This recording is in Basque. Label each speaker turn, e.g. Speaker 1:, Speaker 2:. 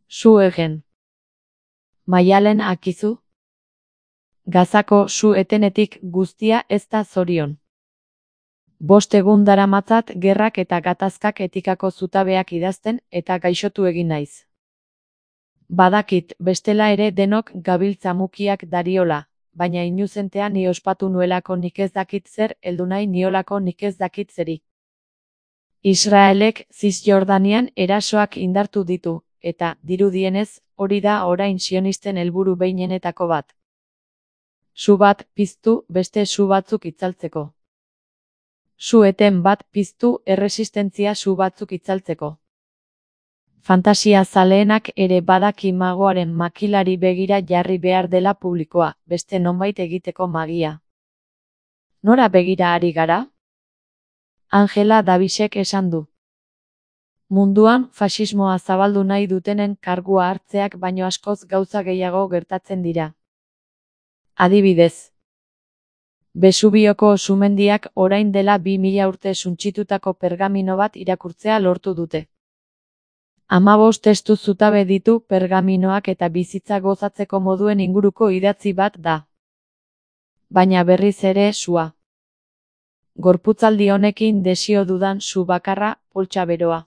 Speaker 1: Su egen. Maialen akizu? Gazako su etenetik guztia ez da zorion. 5 egun daramatzat gerrak eta gatazkak etikako zutabeak idazten eta gaixotu egin naiz. Badakit bestela ere denok gabiltza mukiak dariola, baina inuzentea ni ospatu nuelako nik ez dakit zer heldu nahi niolako nik ez dakit zeri. Israelek Zisjordanian erasoak indartu ditu, eta, dirudienez, hori da orain sionisten helburu behinenetako bat. Su bat piztu beste su batzuk itzaltzeko. Su eten bat piztu erresistentzia su batzuk itzaltzeko. Fantasia zaleenak ere badaki magoaren makilari begira jarri behar dela publikoa, beste nonbait egiteko magia. Nora begira ari gara? Angela Davisek esan du. Munduan faxismoa zabaldu nahi dutenen kargua hartzeak baino askoz gauza gehiago gertatzen dira. Adibidez. Besubioko sumendiak orain dela 2000 urte suntsitutako pergamino bat irakurtzea lortu dute. 15 testu zutabe ditu pergaminoak eta bizitza gozatzeko moduen inguruko idatzi bat da. Baina berriz ere sua. Gorputzaldi honekin desio dudan su bakarra, poltsa beroa.